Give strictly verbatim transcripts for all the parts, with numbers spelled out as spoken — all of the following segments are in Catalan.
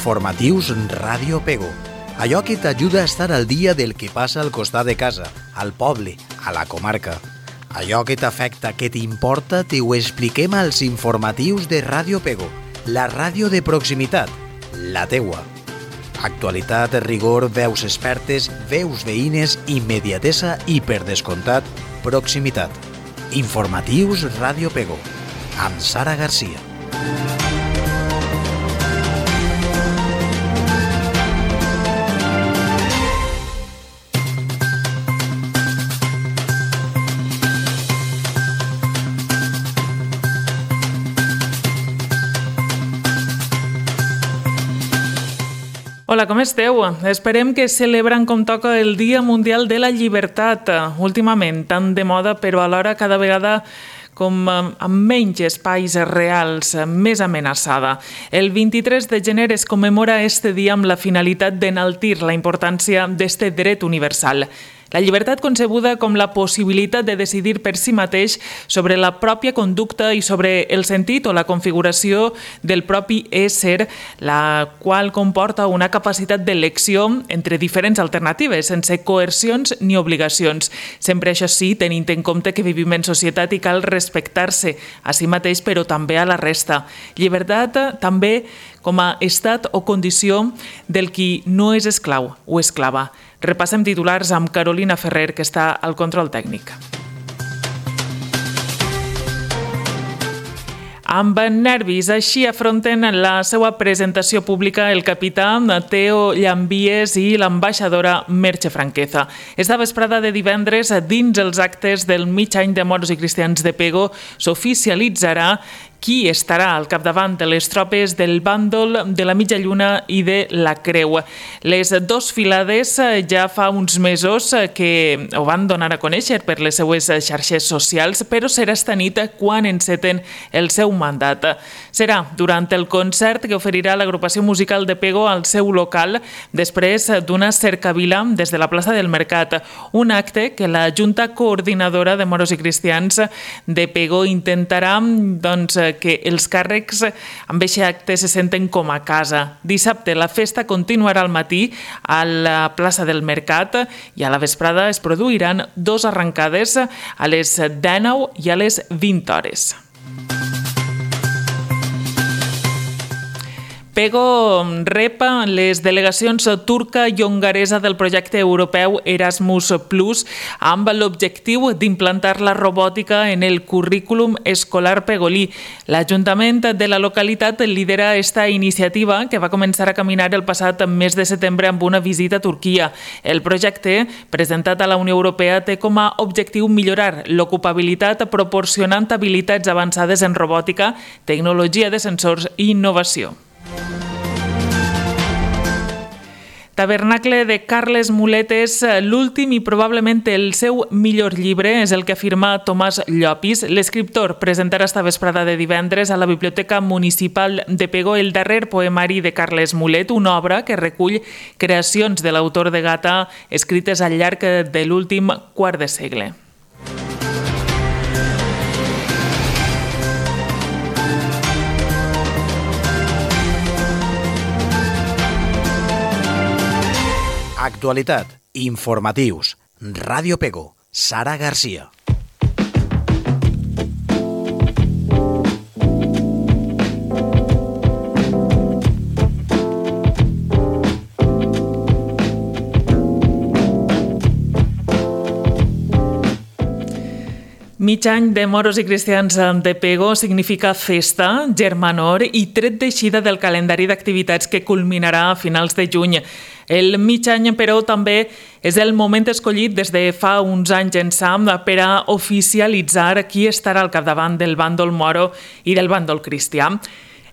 Informatius Ràdio Pego. Allò que t'ajuda a estar al dia del que passa al costat de casa, al poble, a la comarca. Allò que t'afecta, que t'importa, te ho expliquem als informatius de Ràdio Pego, la ràdio de proximitat, la teua. Actualitat, rigor, veus expertes, veus veïnes, immediatesa i, per descomptat, proximitat. Informatius Ràdio Pego, amb Sara Garcia. Hola, com esteu? Esperem que celebrant com toca el Dia Mundial de la Llibertat. Últimament, tan de moda, però alhora cada vegada com amb menys espais reals, més amenaçada. El vint-i-tres de gener es commemora este dia amb la finalitat d'enaltir la importància d'este dret universal. La llibertat concebuda com la possibilitat de decidir per si mateix sobre la pròpia conducta i sobre el sentit o la configuració del propi ésser, la qual comporta una capacitat d'elecció entre diferents alternatives, sense coercions ni obligacions. Sempre això sí, tenint en compte que vivim en societat i cal respectar-se a si mateix, però també a la resta. Llibertat també com a estat o condició del qui no és esclau o esclava. Repassem titulars amb Carolina Ferrer, que està al control tècnic. Amb nervis, així afronten la seva presentació pública el capità Teo Llambies i l'ambaixadora Merche Franqueza. Esta vesprada de divendres, dins els actes del mig any de Moros i Cristians de Pego, s'oficialitzarà qui estarà al capdavant de les tropes del bàndol de la Mitja Lluna i de la Creu. Les dos filades ja fa uns mesos que ho van donar a conèixer per les seues xarxes socials, però serà esta nit quan enceten el seu mandat. Serà durant el concert que oferirà l'agrupació musical de Pego al seu local després d'una cercavila des de la plaça del Mercat, un acte que la Junta Coordinadora de Moros i Cristians de Pego intentarà doncs, que els càrrecs amb aquest acte se senten com a casa. Dissabte la festa continuarà al matí a la plaça del Mercat i a la vesprada es produiran dos arrencades a les dinou i a les vint hores. Pego rep les delegacions turca i hongaresa del projecte europeu Erasmus Plus amb l'objectiu d'implantar la robòtica en el currículum escolar pegolí. L'Ajuntament de la localitat lidera esta iniciativa que va començar a caminar el passat mes de setembre amb una visita a Turquia. El projecte, presentat a la Unió Europea, té com a objectiu millorar l'ocupabilitat proporcionant habilitats avançades en robòtica, tecnologia de sensors i innovació. Tabernacle de Carles Muletes, l'últim i probablement el seu millor llibre, és el que afirma Tomàs Llopis. L'escriptor presentarà esta vesprada de divendres a la Biblioteca Municipal de Pego el darrer poemari de Carles Mulet, una obra que recull creacions de l'autor de Gata escrites al llarg de l'últim quart de segle. Actualitat, informatius, Ràdio Pego, Sara Garcia. Mig any de Moros i Cristians de Pego significa festa, germanor i tret d'eixida del calendari d'activitats que culminarà a finals de juny. El mig any, però, també és el moment escollit des de fa uns anys ençà per a oficialitzar qui estarà al capdavant del bàndol moro i del bàndol cristià.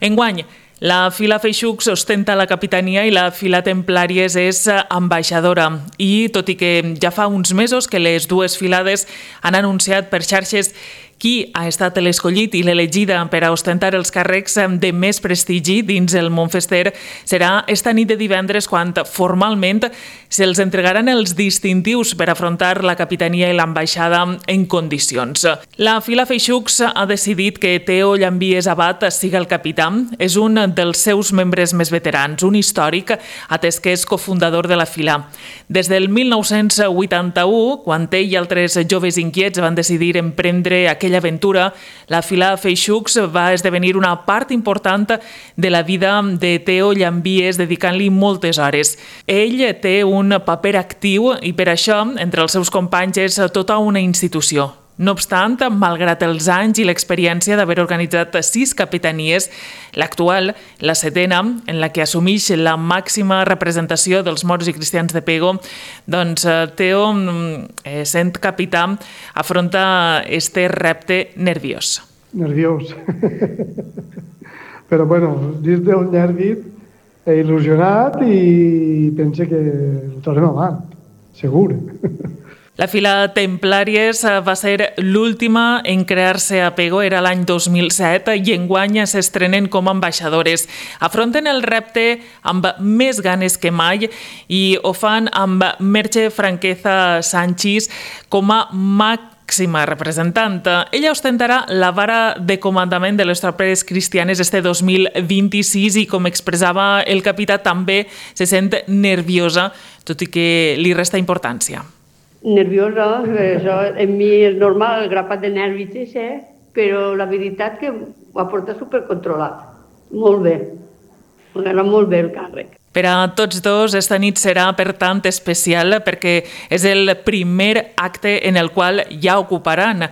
Enguany, la fila Feixucs ostenta la capitania i la fila Templàries és ambaixadora. I tot i que ja fa uns mesos que les dues filades han anunciat per xarxes Qui ha estat l'escollit i l'elegida per a ostentar els càrrecs de més prestigi dins el món fester serà esta nit de divendres quan formalment se'ls entregaran els distintius per afrontar la capitania i l'ambaixada en condicions. La Fila Feixucs ha decidit que Teo Llambies Abad siga el capità. És un dels seus membres més veterans, un històric, atès que és cofundador de la Fila. Des del mil nou-cents vuitanta-u, quan ell i altres joves inquiets van decidir emprendre aquella aventura, la Fila Feixucs va esdevenir una part important de la vida de Teo Llambies, dedicant-li moltes hores. Ell té un paper actiu i per això, entre els seus companys, és tota una institució. No obstant, malgrat els anys i l'experiència d'haver organitzat sis capitanies, l'actual, la setena, en la que assumeix la màxima representació dels moros i cristians de Pego, doncs Teo, eh, sent capità, afronta este repte nerviós. Nerviós. Però, bueno, dins del nervi he il·lusionat i pense que ho tornem avant, segur. La Fila Templàries va ser l'última en crear-se a Pego, era l'any dos mil set, i enguany s'estrenen com a ambaixadores. Afronten el repte amb més ganes que mai i ho fan amb Merche Franqueza Sánchez com a màxima representant. Ella ostentarà la vara de comandament de les tropes cristianes este dos mil vint-i-sis i, com expressava el capità, també se sent nerviosa, tot i que li resta importància. Nerviosa, això en mi és normal, el grapat de nervis, eh? Però la veritat que ho ha portat supercontrolat. Molt bé. M'agrada molt bé el càrrec. Per a tots dos, esta nit serà, per tant, especial perquè és el primer acte en el qual ja ocuparan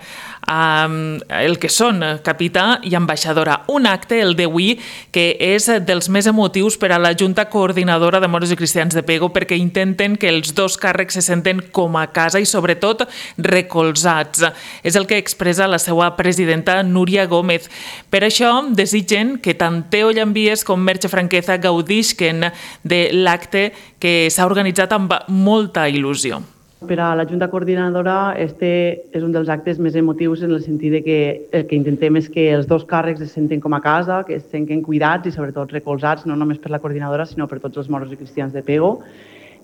um, el que són capità i ambaixadora. Un acte, el d'avui, que és dels més emotius per a la Junta Coordinadora de Moros i Cristians de Pego, perquè intenten que els dos càrrecs se senten com a casa i, sobretot, recolzats. És el que expressa la seva presidenta, Núria Gómez. Per això, desitgen que tant Teo Llambies com Merche Franqueza gaudisquen de l'acte que s'ha organitzat amb molta il·lusió. Per a la Junta Coordinadora, este és un dels actes més emotius en el sentit de que el que intentem és que els dos càrrecs es senten com a casa, que es senten cuidats i sobretot recolzats, no només per la coordinadora, sinó per tots els moros i cristians de Pego.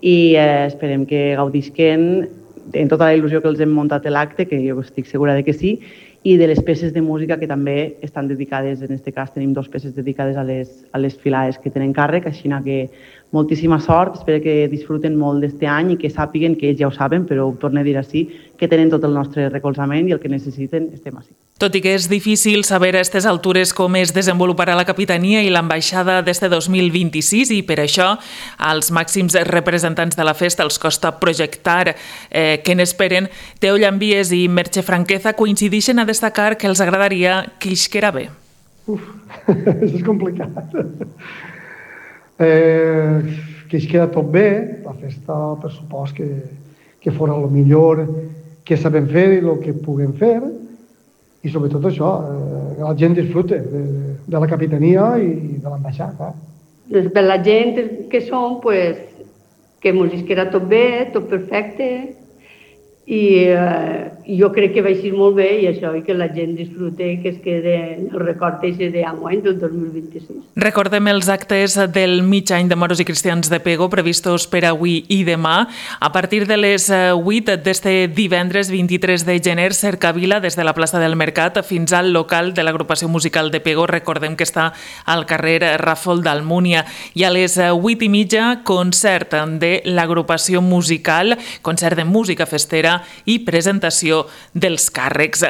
I eh, esperem que gaudisquen en tota la il·lusió que els hem muntat l'acte, que jo estic segura de que sí, i de les peces de música que també estan dedicades, en aquest cas tenim dues peces dedicades a les, a les filaes que tenen càrrec, així que moltíssima sort, espero que disfruten molt d'este any i que sàpiguen, que ells ja ho saben, però ho torno a dir així, que tenen tot el nostre recolzament i el que necessiten estem així. Tot i que és difícil saber a aquestes altures com es desenvoluparà la capitania i l'ambaixada d'este dos mil vint-i-sis i per això als màxims representants de la festa els costa projectar eh, què n'esperen, Teo Llambies i Merche Franqueza coincideixen a destacar que els agradaria que isquera bé. Uf, això és complicat. Eh, que isquera tot bé, la festa per supost que, que fora el millor que sabem fer i el que puguem fer, i sobretot això, eh, la gent disfrute de, de la capitania i de l'ambaixada. Per la gent que som, pues, que ens isquera tot bé, tot perfecte, i eh, jo crec que va ser molt bé i això, i que la gent disfrute i que es quede el record d'enguany del dos mil vint-i-sis. Recordem els actes del mig any de Moros i Cristians de Pego previstos per avui i demà. A partir de les vuit d'este divendres vint-i-tres de gener, cercavila des de la plaça del Mercat fins al local de l'agrupació musical de Pego. Recordem que està al carrer Ràfol d'Almúnia. I a les vuit i mitja, concert de l'agrupació musical, concert de música festera i presentació dels càrrecs.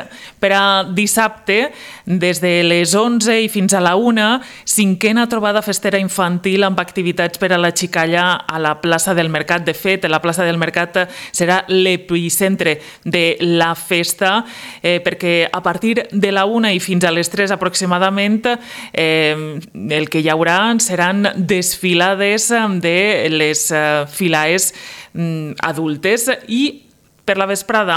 Per a dissabte, des de les onze i fins a la una, cinquena trobada festera infantil amb activitats per a la xicalla a la plaça del Mercat. De fet, la plaça del Mercat serà l'epicentre de la festa, eh, perquè a partir de la una i fins a les tres aproximadament, eh, el que hi haurà seran desfilades de les filaes adultes i per la vesprada,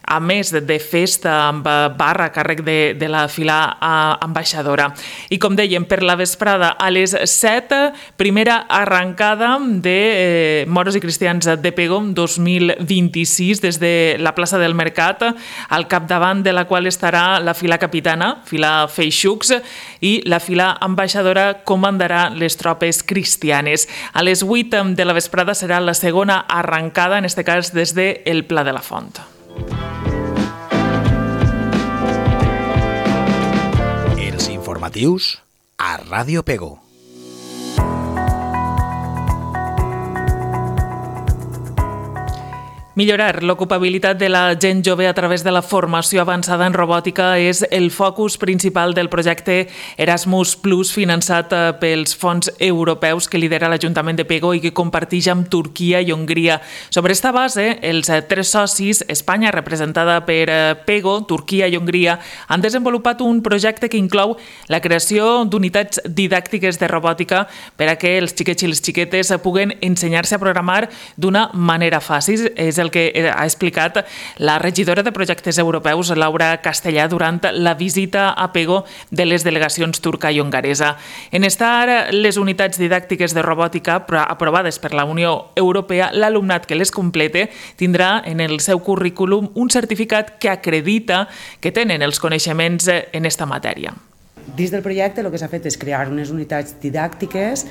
a més de festa amb barra a càrrec de, de la fila ambaixadora. I com dèiem, per la vesprada a les set, primera arrencada de eh, Moros i Cristians de Pego dos mil vint-i-sis des de la plaça del Mercat, al capdavant de la qual estarà la fila capitana, fila Feixucs, i la fila ambaixadora comandarà les tropes cristianes. A les vuit de la vesprada serà la segona arrencada, en aquest cas des del Pla de la Font. Els informatius a Ràdio Pego. Millorar l'ocupabilitat de la gent jove a través de la formació avançada en robòtica és el focus principal del projecte Erasmus Plus, finançat pels fons europeus que lidera l'Ajuntament de Pego i que comparteix amb Turquia i Hongria. Sobre esta base, els tres socis, Espanya, representada per Pego, Turquia i Hongria, han desenvolupat un projecte que inclou la creació d'unitats didàctiques de robòtica per a que els xiquets i les xiquetes puguen ensenyar-se a programar d'una manera fàcil. És el que ha explicat la regidora de projectes europeus, Laura Castellà, durant la visita a Pego de les delegacions turca i hongaresa. En estar les unitats didàctiques de robòtica aprovades per la Unió Europea, l'alumnat que les complete tindrà en el seu currículum un certificat que acredita que tenen els coneixements en esta matèria. Dins del projecte el que s'ha fet és crear unes unitats didàctiques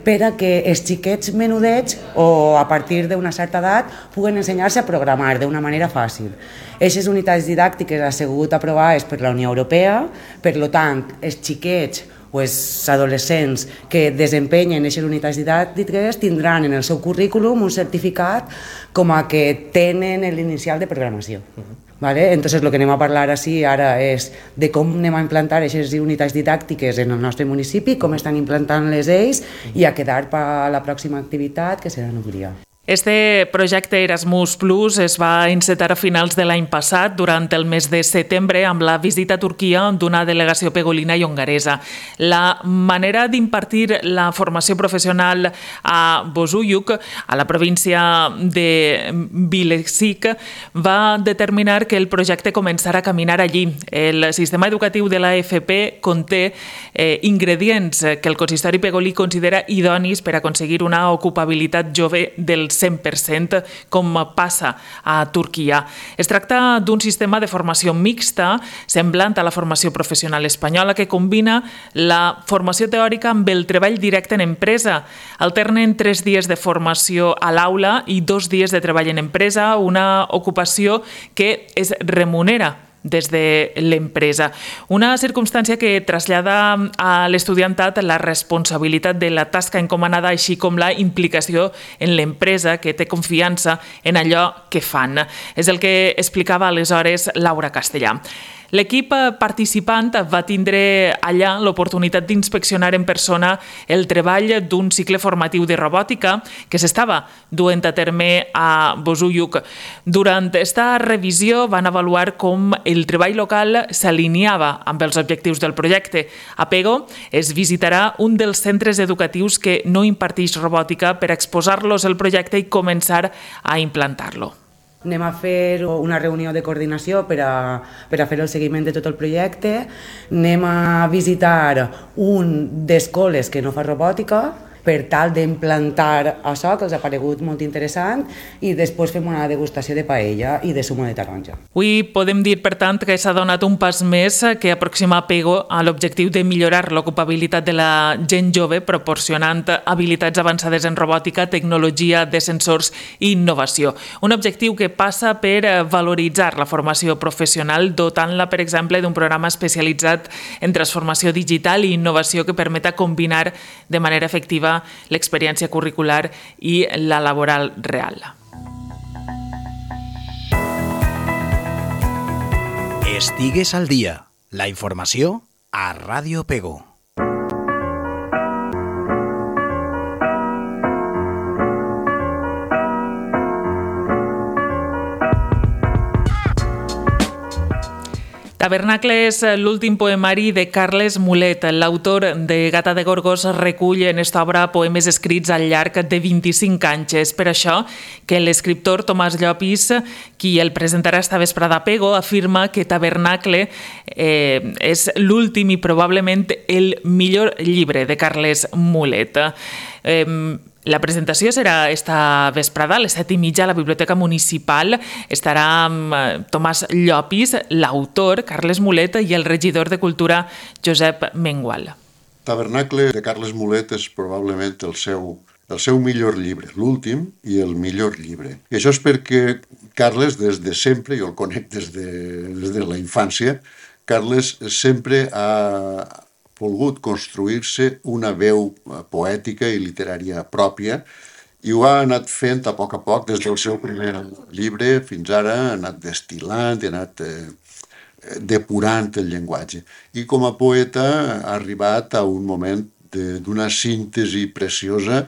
per a que els xiquets menudets o a partir d'una certa edat puguen ensenyar-se a programar d'una manera fàcil. Aquestes unitats didàctiques han sigut aprovades per la Unió Europea, per tant, els xiquets o els adolescents que desempenyen aquestes unitats didàctiques tindran en el seu currículum un certificat com a que tenen l'inicial de programació. ¿Vale? Entonces lo que anem a parlar així ara és de com anem a implantar aquestes unitats didàctiques en el nostre municipi, com estan implantant-les ells i a quedar per a la pròxima activitat que serà en Hongria. Este projecte Erasmus Plus es va encetar a finals de l'any passat, durant el mes de setembre, amb la visita a Turquia d'una delegació pegolina i hongaresa. La manera d'impartir la formació professional a Bozuyuk, a la província de Bilecik, va determinar que el projecte començarà a caminar allí. El sistema educatiu de la A F P conté eh, ingredients que el consistori pegolí considera idonis per aconseguir una ocupabilitat jove del cent per cent, com passa a Turquia. Es tracta d'un sistema de formació mixta, semblant a la formació professional espanyola, que combina la formació teòrica amb el treball directe en empresa. Alternen tres dies de formació a l'aula i dos dies de treball en empresa, una ocupació que es remunera des de l'empresa. Una circumstància que trasllada a l'estudiantat la responsabilitat de la tasca encomanada, així com la implicació en l'empresa, que té confiança en allò que fan. És el que explicava aleshores Laura Castellà. L'equip participant va tindre allà l'oportunitat d'inspeccionar en persona el treball d'un cicle formatiu de robòtica que s'estava duent a terme a Bozuyuk. Durant aquesta revisió van avaluar com el treball local s'alineava amb els objectius del projecte. A Pego es visitarà un dels centres educatius que no imparteix robòtica per exposar-los el projecte i començar a implantar-lo. Anem a fer una reunió de coordinació per a, per a fer el seguiment de tot el projecte. Anem a visitar un d'escoles que no fa robòtica per tal d'implantar això, que els ha paregut molt interessant, i després fem una degustació de paella i de zumo de taronja. Avui podem dir, per tant, que s'ha donat un pas més que aproxima Pego a l'objectiu de millorar l'ocupabilitat de la gent jove, proporcionant habilitats avançades en robòtica, tecnologia de sensors i innovació. Un objectiu que passa per valoritzar la formació professional, dotant-la, per exemple, d'un programa especialitzat en transformació digital i innovació que permeta combinar de manera efectiva l'experiència curricular i la laboral real. Estigues al dia. La informació a Ràdio Pego. Tabernacle és l'últim poemari de Carles Mulet. L'autor de Gata de Gorgos recull en esta obra poemes escrits al llarg de vint-i-cinc anys. És per això que l'escriptor Tomàs Llopis, qui el presentarà esta vesprada a Pego, afirma que Tabernacle eh, és l'últim i probablement el millor llibre de Carles Mulet. Eh, La presentació serà esta vesprada a les set i mitja a la Biblioteca Municipal. Estarà amb Tomàs Llopis, l'autor, Carles Mulet, i el regidor de Cultura, Josep Mengual. Tabernacle de Carles Mulet és probablement el seu, el seu millor llibre, l'últim i el millor llibre. I això és perquè Carles, des de sempre, jo el conec des de, des de la infància, Carles sempre ha volgut construir-se una veu poètica i literària pròpia i ho ha anat fent a poc a poc des del seu primer llibre fins ara, ha anat destil·lant, ha anat eh, depurant el llenguatge. I com a poeta ha arribat a un moment d'una síntesi preciosa,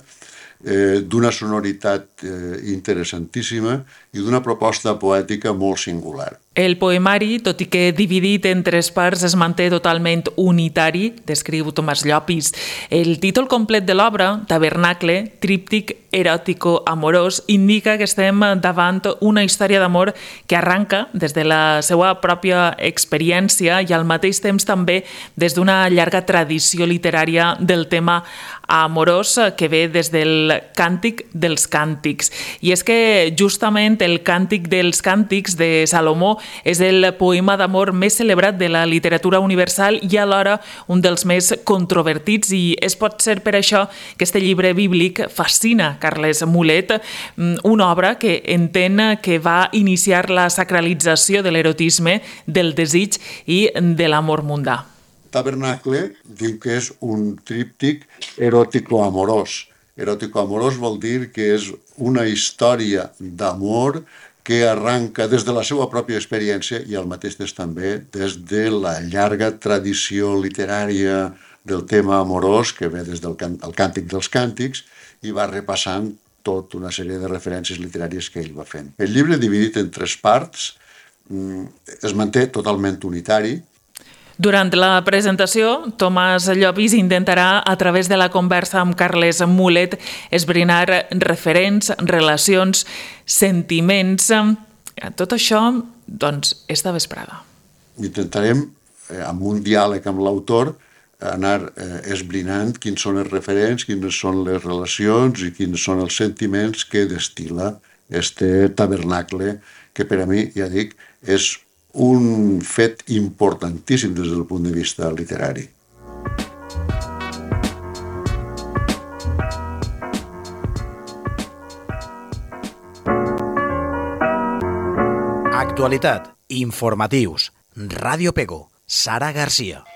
eh, d'una sonoritat eh, interessantíssima i d'una proposta poètica molt singular. El poemari, tot i que dividit en tres parts, es manté totalment unitari, descriu Tomàs Llopis. El títol complet de l'obra, Tabernacle, tríptic eròtico-amorós, indica que estem davant una història d'amor que arranca des de la seva pròpia experiència i al mateix temps també des d'una llarga tradició literària del tema amorós que ve des del Càntic dels Càntics. I és que justament el Càntic dels Càntics de Salomó és el poema d'amor més celebrat de la literatura universal i alhora un dels més controvertits, i és pot ser per això que este llibre bíblic fascina Carles Mulet, una obra que entén que va iniciar la sacralització de l'erotisme, del desig i de l'amor mundà. Tabernacle diu que és un tríptic eròtico-amorós. Eròtico-amorós vol dir que és una història d'amor que arranca des de la seva pròpia experiència i al mateix temps també des de la llarga tradició literària del tema amorós que ve des del Càntic dels Càntics i va repassant tota una sèrie de referències literàries que ell va fent. El llibre, dividit en tres parts, es manté totalment unitari. Durant la presentació, Tomàs Llopis intentarà, a través de la conversa amb Carles Mulet, esbrinar referents, relacions, sentiments. Tot això, doncs, esta vesprada. Intentarem, amb un diàleg amb l'autor, anar esbrinant quins són els referents, quines són les relacions i quins són els sentiments que destil·la este tabernacle, que per a mi, ja dic, és un fet importantíssim des del punt de vista literari. Actualitat, informatius, Ràdio Pego, Sara Garcia.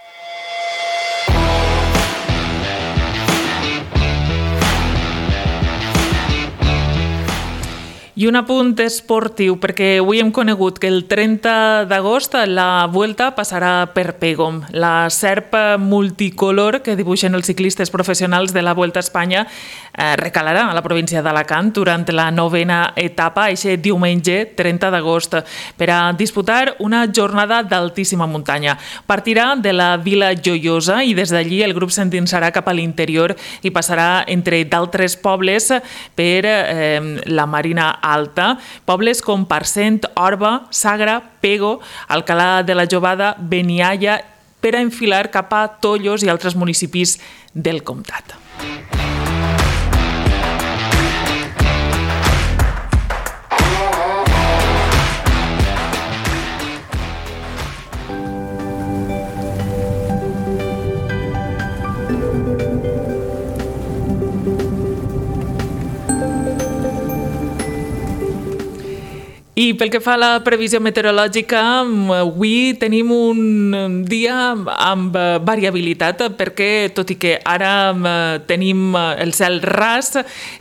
I un apunt esportiu, perquè avui hem conegut que el trenta d'agost la Vuelta passarà per Pego. La serp multicolor que dibuixen els ciclistes professionals de la Vuelta a Espanya eh, recalarà a la província d'Alacant durant la novena etapa, aquest diumenge trenta d'agost, per a disputar una jornada d'altíssima muntanya. Partirà de la Vila Joiosa i des d'allí el grup s'endinsarà cap a l'interior i passarà entre d'altres pobles per eh, la Marina Alta, pobles com Parcent, Orba, Sagra, Pego, Alcalà de la Jovada, Benialla, per a enfilar cap a Tollos i altres municipis del comtat. I pel que fa a la previsió meteorològica, avui tenim un dia amb variabilitat perquè, tot i que ara tenim el cel ras,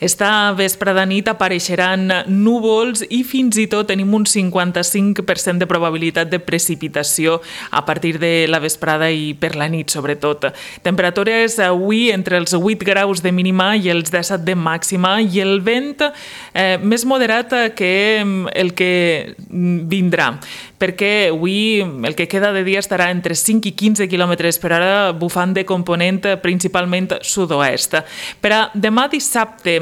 esta vesprada nit apareixeran núvols i fins i tot tenim un cinquanta-cinc per cent de probabilitat de precipitació a partir de la vesprada i per la nit, sobretot. Temperatures avui entre els vuit graus de mínima i els disset de màxima i el vent eh, més moderat que el que vindrà. perquè avui el que queda de dia estarà entre cinc i quinze quilòmetres per hora, bufant de component principalment sud-oest. Per a demà dissabte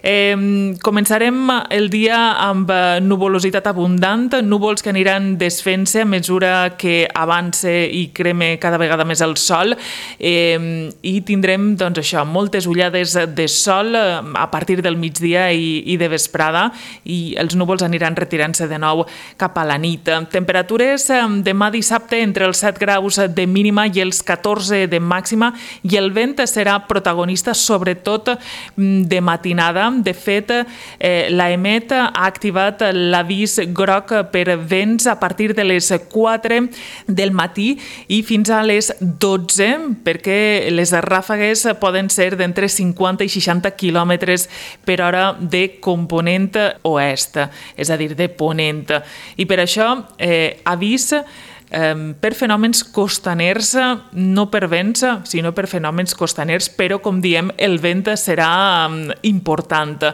eh, començarem el dia amb nuvolositat abundant, núvols que aniran desfent-se a mesura que avance i creme cada vegada més el sol, eh, i tindrem doncs, això, moltes ullades de sol a partir del migdia i, i de vesprada, i els núvols aniran retirant-se de nou cap a la nit. Temperatures demà dissabte entre els set graus de mínima i els catorze de màxima, i el vent serà protagonista sobretot de matinada. De fet, eh, l'AEMET ha activat l'avís groc per vents a partir de les quatre del matí i fins a les dotze, perquè les ràfegues poden ser d'entre cinquanta i seixanta quilòmetres per hora de component oest, és a dir, de ponent. I per això, eh, avís eh, per fenòmens costaners, no per vents, sinó per fenòmens costaners, però, com diem, el vent serà eh, important.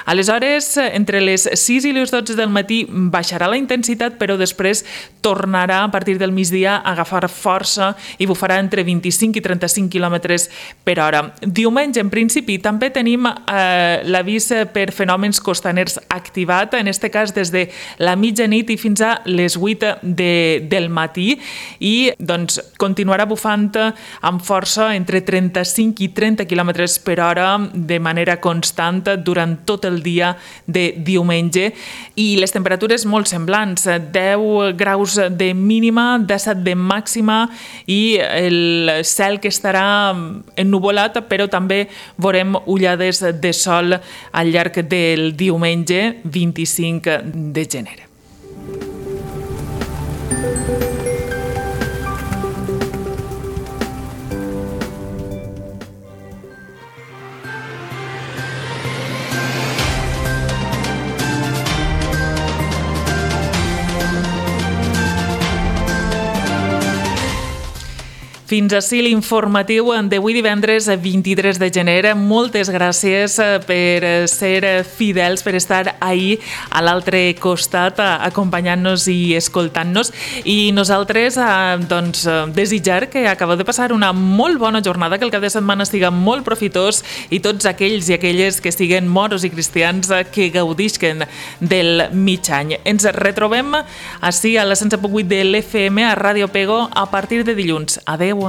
Aleshores, entre les sis i les dotze del matí baixarà la intensitat, però després tornarà a partir del migdia a agafar força i bufarà entre vint-i-cinc i trenta-cinc quilòmetres per hora. Diumenge, en principi, també tenim eh, l'avís per fenòmens costaners activat, en aquest cas des de la mitjanit i fins a les vuit de, del matí, i doncs, continuarà bufant amb força entre trenta-cinc i trenta quilòmetres per hora de manera constant durant tot el dia de diumenge, i les temperatures molt semblants, deu graus de mínima, disset de màxima, i el cel que estarà ennuvolat, però també veurem ullades de sol al llarg del diumenge vint-i-cinc de gener. Fins ací l'informatiu d'avui divendres vint-i-tres de gener. Moltes gràcies per ser fidels, per estar ahí a l'altre costat acompanyant-nos i escoltant-nos. I nosaltres doncs, desitjar que acabeu de passar una molt bona jornada, que el cap de setmana estiga molt profitós, i tots aquells i aquelles que estiguen moros i cristians que gaudisquen del mig any. Ens retrobem ací a la cent set punt vuit de l'F M a Ràdio Pego a partir de dilluns. Adeu.